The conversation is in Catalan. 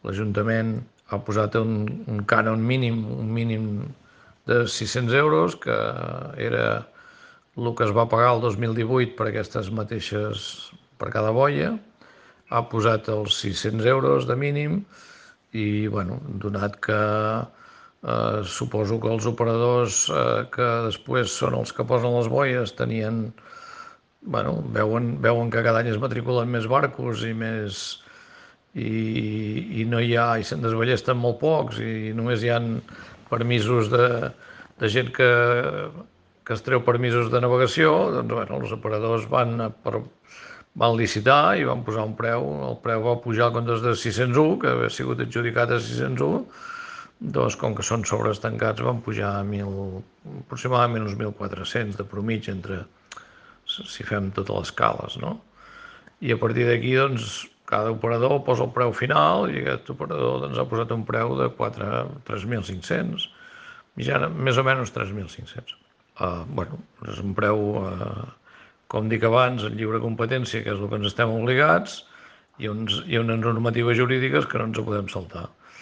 l'Ajuntament ha posat un cànon mínim, un mínim de 600 euros, que era el que es va pagar el 2018 per aquestes mateixes, per cada boia. Ha posat els 600 euros de mínim i, bueno, donat que suposo que els operadors que després són els que posen les boies veuen que cada any es matriculen més barcos i no hi ha, i se'n desballesten molt pocs, i només hi ha permisos de gent que es treu permisos de navegació. Doncs, bueno, els operadors van licitar i van posar un preu. El preu va pujar en comptes de 601, que havia sigut adjudicat a 601, doncs, com que són sobres tancats, van pujar a aproximadament uns 1.400 de mitjana, si fem totes les cales, no? I a partir d'aquí, doncs, cada operador posa el preu final, i aquest operador, doncs, ha posat un preu de 3.500, mitjana, més o menys 3.500. Bueno, és un preu, com dic abans, en lliure competència, que és el que ens estem obligats, i unes normatives jurídiques que no ens podem saltar.